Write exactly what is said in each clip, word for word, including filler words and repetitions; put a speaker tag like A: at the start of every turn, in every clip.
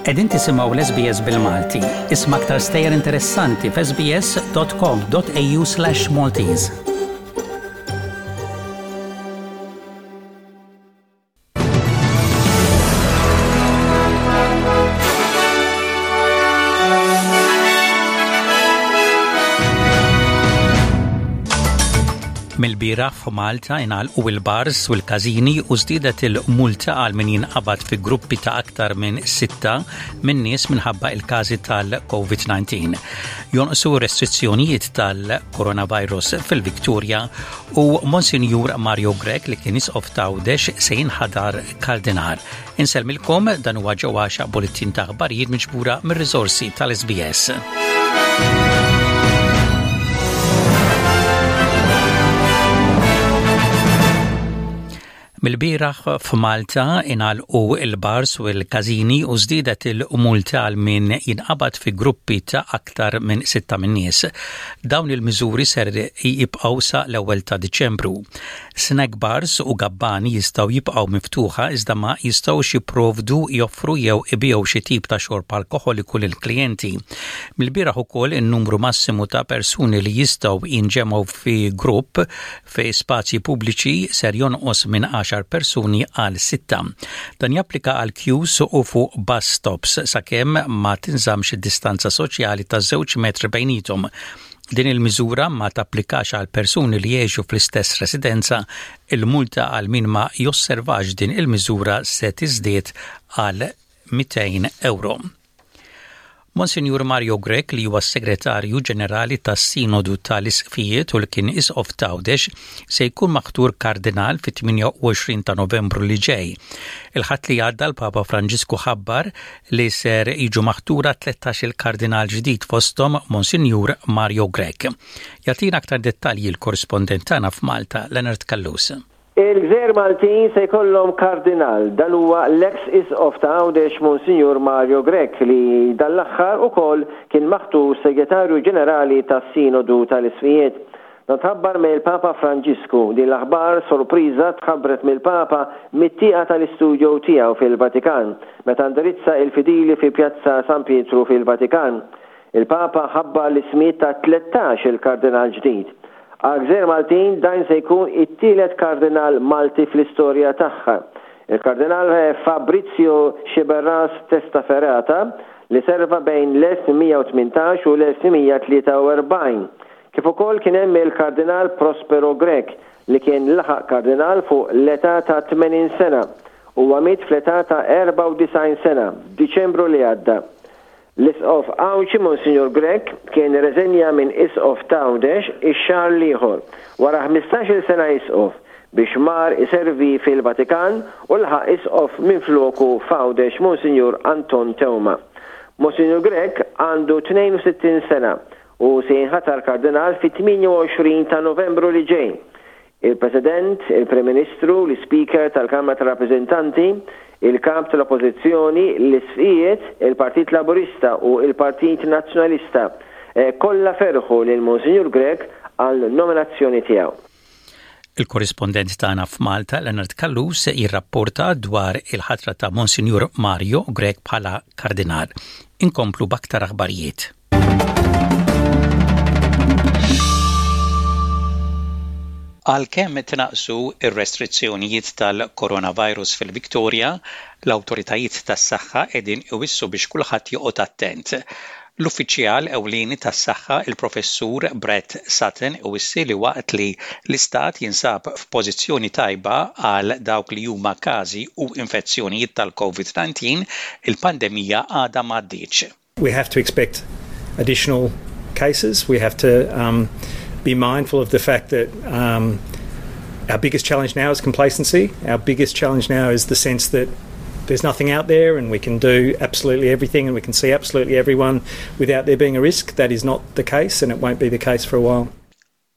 A: Qegħdin tisimgħu l-S B S bil-Malti. Isma' aktar stejjer interessanti f'S B S dot com dot A U slash Maltese. Mill-bieraħ f'Malta ingħalqu il-bars u l-każini u żdiedet il-multa għal min jinqabad fi gruppi ta' aktar minn sitta minn nies minħabba il-każi tal-COVID nineteen. Jonqsu restrizzjonijiet tal-coronavirus fil-Victoria u Monsinjur Mario Grech, li kien isqof t'Għawdex, se jinħatar kardinal. Insellmilkom, dan huwa Ġew Għaxaq, bulletin ta' aħbarijiet miġbura mir-riżorsi tal-S B S. Mill-bieraħ f'Malta ingħalqu il-bars u l-każini u żdiedet il-multa għal min jinqabad fi gruppi ta' aktar minn sitta minn nies. Dawn il-miżuri ser jibqgħu sa l-ewwel ta' Diċembru. Snack bars u gabbani jistgħu jibqgħu miftuħa, iżda ma jistgħux jipprovdu, joffru jew ibigħu xi tip ta' xorb alkoħoliku lill-klijenti. Mill-bieraħ ukoll in-numru massimu ta' persuni li jistgħu jinġemgħu fi grupp fi spazji pubbliċi ser jonqos minn għaxar persuni għal sitta. Dan japplika għal queues u fuq bus stops sakemm ma tinżamx id-distanza soċjali ta' żewġ metri bejnietom. Din il-miżura ma tapplikax għal persuni li jgħixu fl-istess residenza. Il-multa għal min ma josservax din il-miżura se tiżdied għal mitejn euro. Monsignor Mario Grech, li huwa segretarju ġenerali tas-Sinodu tal-Isqfijiet u li kien isqof t'Għawdex, se jkun maħtur kardinal fit-tmienja u għoxrin ta' Novembru li ġej. Il-Ħadd li għadda l-Papa Franġisku ħabbar li ser jiġu maħtura tlettax il-kardinal ġdid, fosthom Monsignor Mario Grech. Jagħtina aktar dettalji l-korrispondent tagħna f'Malta, Leonard Callus.
B: Il-Gżejjer Maltin se jkollhom kardinal. Dan huwa l-ex isqof ta' Għawdex, Monsignor Mario Grech, li dan l-aħħar ukoll kien maħtur segretarju ġenerali tas-Sinodu tal-Isqfijiet. Dan tħabbar mill-Papa Franġisku. Din l-aħbar sorpriża tħabbret mill-Papa mit-tieqa tal-istudio tiegħu fil-Vatikan meta indirizza il-fidili fi Pjazza San Pietru fil-Vatikan. Il-Papa ħabbar l-ismijiet ta' tlettax il-kardinal ġdid. Għal-Gżejjer Maltin dan se jkun it-tielet kardinal Malti fl-istorja tagħha. Il-kardinal Fabrizio Sciberras Testaferrata, li serva bejn l-elf tmien mija u tmintax u l-elf tmien mija tlieta u erbgħin. Kif ukoll kien hemm il-kardinal Prospero Grech, li kien laħaq kardinal fuq l-età ta' tmenin sena u miet fl-età ta' erbgħa u disgħin sena Diċembru li għadda. L-Isqof Għawdxi Monsignor Grech kien reżenja minn Isqof t'Għawdex ix-xahar l-ieħor wara ħmistax-il sena Isqof biex mar iservi fil-Vatikan, u laħaq Isqof minn floku f'Għawdex Monsignor Anton Teuma. Monsignor Grech għandu tnejn u sittin sena u se jinħatar kardinal fit-tmienja u għoxrin ta' Novembru li ġej. Il-President, il-Prim Ministru, l-Speaker tal-Kamra tal-Rappreżentanti, il-Kap tal-Oppożizzjoni, l-Isqfijiet, il-Partit Laburista u il-Partit Nazzjonalista eh, kollha ferħu lil Monsignor Grech għal nominazzjoni tiegħu.
A: Il-korrispondent tagħna f'Malta, Leonard Callus, jirrapporta dwar il-ħatra ta' Monsignor Mario Grech bħala kardinal. Inkomplu b'aktar aħbarijiet. Għalkemm tnaqsu ir-restrizzjonijiet tal-coronavirus fil-Victoria, l-awtoritajiet tas-saħħa qegħdin iwissu biex kulħadd joqgħod attent. L-uffiċjal ewlieni tas-saħħa, il-Professur Brett Sutton, iwissi li waqt li l-istat jinsab f'pożizzjoni tajba għal dawk li huma każi u infezzjonijiet tal-COVID nineteen, il-pandemija għadha m'għaddietx.
C: We have to expect additional cases. We have to um, be mindful of the fact that um, our biggest challenge now is complacency. Our biggest challenge now is the sense that there's nothing out there and we can do absolutely everything and we can see absolutely everyone without there being a risk. That is not the case, and it won't be the case for a while.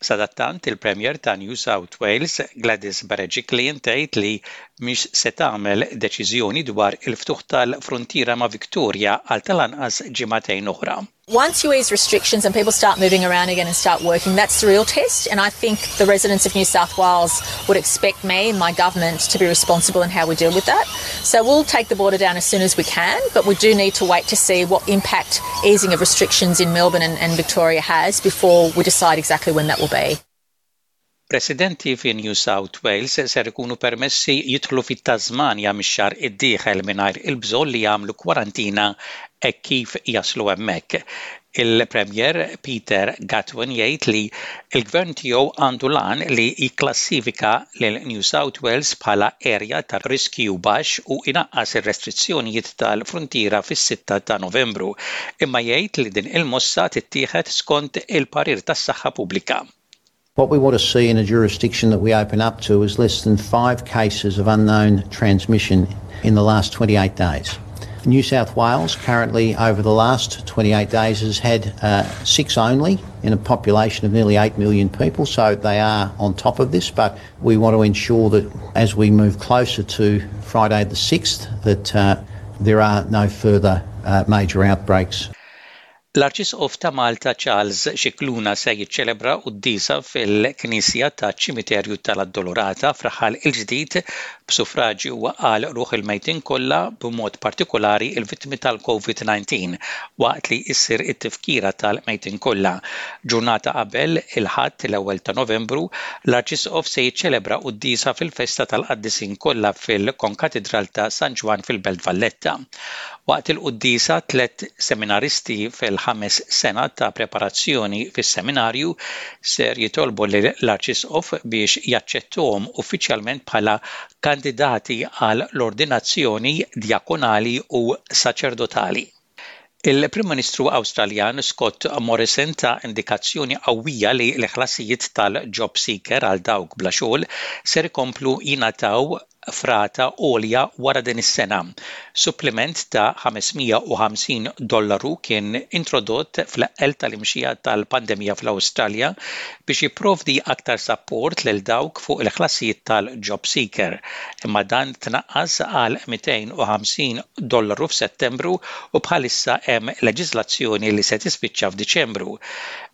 A: Sadattant, il-Premier ta' New South Wales, Gladys Berejiklian, tgħid li mhix se tagħmel deċiżjoni dwar il-ftuħ tal-frontiera ma' Victoria għal tal-anqas ġimagħtejn oħra.
D: Once you ease restrictions and people start moving around again and start working, that's the real test. And I think the residents of New South Wales would expect me and my government to be responsible in how we deal with that. So we'll take the border down as soon as we can, but we do need to wait to see what impact easing of restrictions in Melbourne and, and Victoria has before we decide exactly when that will be.
A: Residenti fi New South Wales ser ikunu permessi jidħlu fit-Tasmania mix-xahar id-dieħel mingħajr il-bżonn li jagħmlu kwarantina hekk kif jaslu hemmhekk. Il-Premier Peter Gutwein jgħid li l-gvern tiegħu għandu l-għan li jikklassifika lil New South Wales bħala erja ta' riskju baxx u inaqqas ir-restrizzjonijiet tal-frontiera fis-sitta ta' Novembru, imma jgħid li din il-mossa tittieħed skont il-parir tas-saħħa pubblika.
E: What we want to see in a jurisdiction that we open up to is less than five cases of unknown transmission in the last twenty-eight days. New South Wales currently over the last twenty-eight days has had, uh, six only in a population of nearly eight million people, so they are on top of this, but we want to ensure that as we move closer to Friday the sixth that, uh, there are no further, uh, major outbreaks.
A: L-Arċisqof ta' Malta Charles Scicluna se jiċċelebra quddiesa fil-Knisja ta' Ċimiterju tal-Addolorata f'Raħal il-Ġdid b'suffraġġju għal ruħ il-mejtin kollha, b'mod partikolari il-vittmi tal-COVID nineteen, waqt li issir it-tifkira tal-mejtin kollha. Ġurnata qabel il-Ħadd l-ewwel ta' Novembru, l-Arċisqof se jiċċelebra quddiesa fil-festa tal-Qaddisin kollha fil-Konkatedral ta' San Ġwann fil-Belt Valletta. Waqt il-quddiesa tliet seminaristi fil-ħames sena ta' preparazzjoni fis-seminarju ser jitolbu lill-Arċisqof biex jaċċettuhom uffiċjalment bħala kandidati għal l-ordinazzjoni djakonali u saċerdotali. Il-Prim Ministru Awstraljan Scott Morrison ta indikazzjoni qawwija li l-ħlasijiet tal-job seeker għal dawk bla xogħol ser ikomplu jingħataw f'rata għolja wara din is-sena. Supplement ta' ħames mija u ħamsin dollaru kien introdott fl-eqqel tal-imxija tal-pandemija fl-Awstralja biex jipprovdi aktar support lil dawk fuq il-ħlasijiet tal-job seeker. Imma dan tnaqqas għal mitejn u ħamsin dollaru f'Settembru u bħalissa hemm leġiżlazzjoni li se tispiċċa f'Diċembru.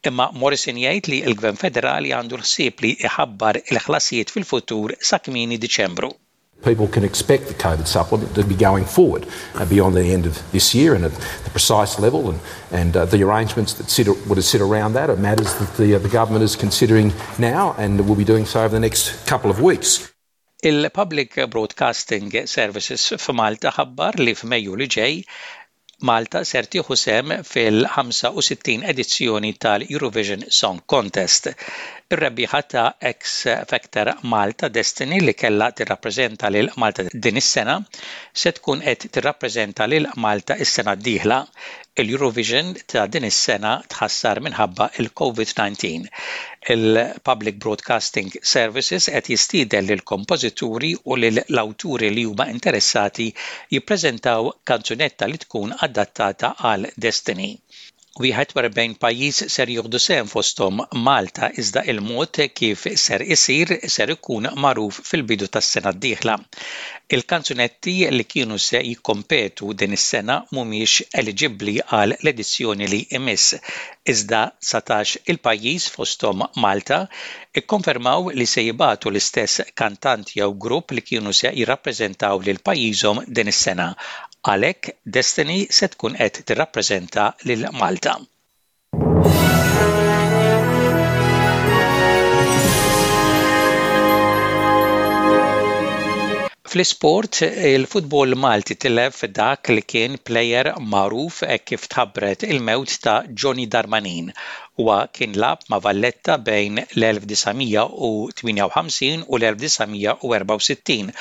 A: Imma Morrison jgħid li l-Gvern Federali għandu l-ħsieb li iħabbar il-ħlasijiet fil-futur sa kmieni Diċembru.
F: People can expect the COVID supplement to be going forward, uh, beyond the end of this year, and at the precise level and, and, uh, the arrangements that sit, would sit around that are matters that the, uh, the government is considering now and will be doing so over the next couple of weeks.
A: Il-Public Broadcasting Services f'Malta ħabbar li f'Mejju li ġej Malta ser tieħu sehem fil-ħamsa u sittin edizzjoni tal-Eurovision Song Contest. Ir-rebbieħa ta' X Factor Malta Destiny li kellha tirrappreżenta lil Malta din is-sena se tkun qed tirrappreżenta lil Malta is-sena d-dieħla. Il-Eurovision ta' din is-sena tħassar minħabba il-COVID nineteen. Il-Public Broadcasting Services qed jistieden lil kompożituri u lil l-awturi li huma interessati jippreżentaw kanzunetta li tkun adattata għal Destiny. Wieħed u erbgħin pajjiż ser jieħdu sehem fosthom Malta, iżda il-mod kif ser isir ser ikun magħruf fil-bidu tas-sena d-dieħla. Il-kanzunetti li kienu se jikkompetu din is-sena mhumiex eliġibbli għal l-edizzjoni li imiss, iżda satax il-pajjiż fosthom Malta ikkonfermaw li se jibagħtu l-istess kantant jew grupp li kienu se jirrappreżentaw lil pajjiżhom din is-sena. Għalhekk Destiny se tkun qed tirrappreżenta lil Malta. Fl-isport, il-futbol Malti tilef dak li kien plejer magħruf hekk kif tħabbret il-mewt ta' Johnny Darmanin. Huwa kien lagħab ma' Valletta bejn l-elf disa' mija u tmienja u ħamsin u l-elf disa' mija u erbgħa u sittin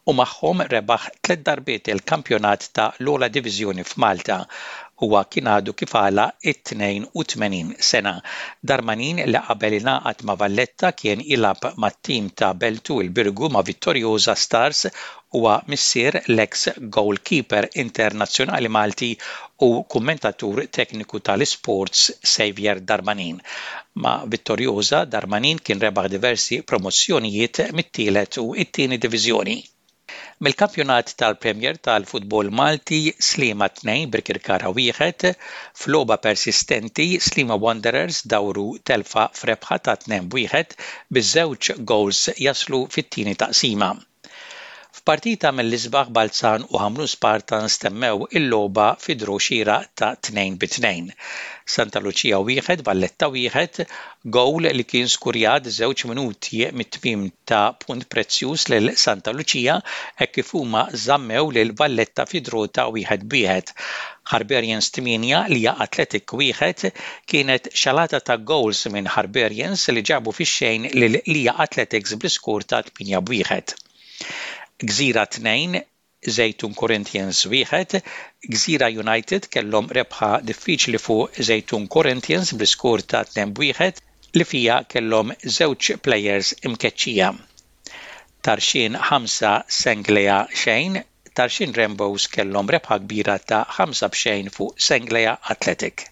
A: u magħhom rebaħ tliet darbiet il-kampjonat ta' l-ogħla diviżjoni f'Malta. Huwa kien għadu kif għalaq it-tnejn u tmenin sena. Darmanin li qabel ingħaqad ma' Valletta kien jilgħab mat-tim ta' Beltu il-Birgu ma' Vittoriosa Stars, huwa missier l-ex goalkeeper internazzjonali Malti u kummentatur tekniku tal-sports Xavier Darmanin. Ma' Vittoriosa, Darmanin kien rebaħ diversi promozzjonijiet mit-tielet u it-tieni diviżjoni. Mill-kampjonat tal-Premier tal-Futbol Malti, Sliema tnejn, Birkirkara wieħed. F'logħba persistenti, Sliema Wanderers dawru telfa f'rebħa ta' tnejn wieħed, biż-żewġ goals jaslu fit-tieni taqsima. F'partita mill-isbaħ, Balzan u Ħamrun Spartans temmew il-logħba fi draw xieraq ta' tnejn bi tnejn. Santa Lucia wieħed, Valletta wieħed, gowl li kien skurjat żewġ minuti mit-tmiem ta punt prezzjuż lil Santa Lucia hekk kif huma żammew lil Valletta fi draw ta' wieħed b'wieħed. Harbarians tmienja, Lija Athletic wieħed, kienet xalata ta' goals minn Harbarians li ġabu fix-xejn lil Lija Athletics bl-iskur ta' tmienja b'wieħed. Gżira tnejn, Żejtun Corinthians wieħed, Gżira United kellhom rebħa diffiċli fuq Żejtun Corinthians bl-iskur ta' tnejn wieħed li fija kellhom żewġ players imkeċċija. Tarxien ħamsa, Senglea xejn, Tarxien Rainbows kellhom rebħa kbira ta' ħamsa b'xejn fuq Senglea Athletic.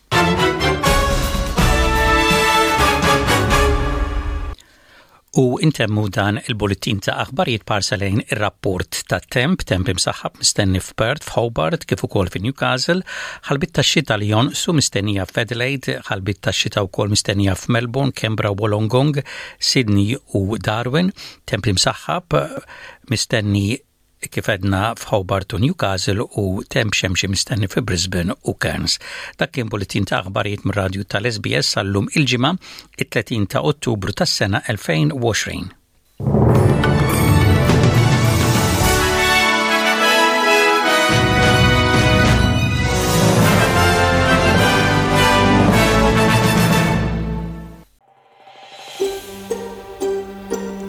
A: U intemmu dan il-bulletin ta' aħbarijiet b'ħarsa lejn ir-rapport ta' temp, temp imsaħħab mistenni f'Perth, f'Hobart, kif ukoll fi Newcastle, ħalbiet ta' xita li jonqsu mistennija f'Adelaide, ħalbiet ta' xita wkoll mistennija f'Melbourne, Canberra, Wollongong, Sydney u Darwin, temp imsaħħab mistenni kif għedna f'Hobart u Newcastle u temp xemxi mistenni fi Brisbane u Cairns. Dak kien bulletin ta' aħbarijiet mir-radju tal-S B S għal-lum il-Ġimgħa, it-tletin ta' Ottubru tas-sena elfejn u għoxrin.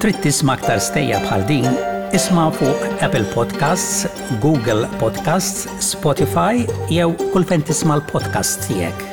A: Trid tisma' aktar stejjer bħal din? Isma' fuq Apple Podcasts, Google Podcasts, Spotify jew kull fejn tisma' l-podcast tiegħek.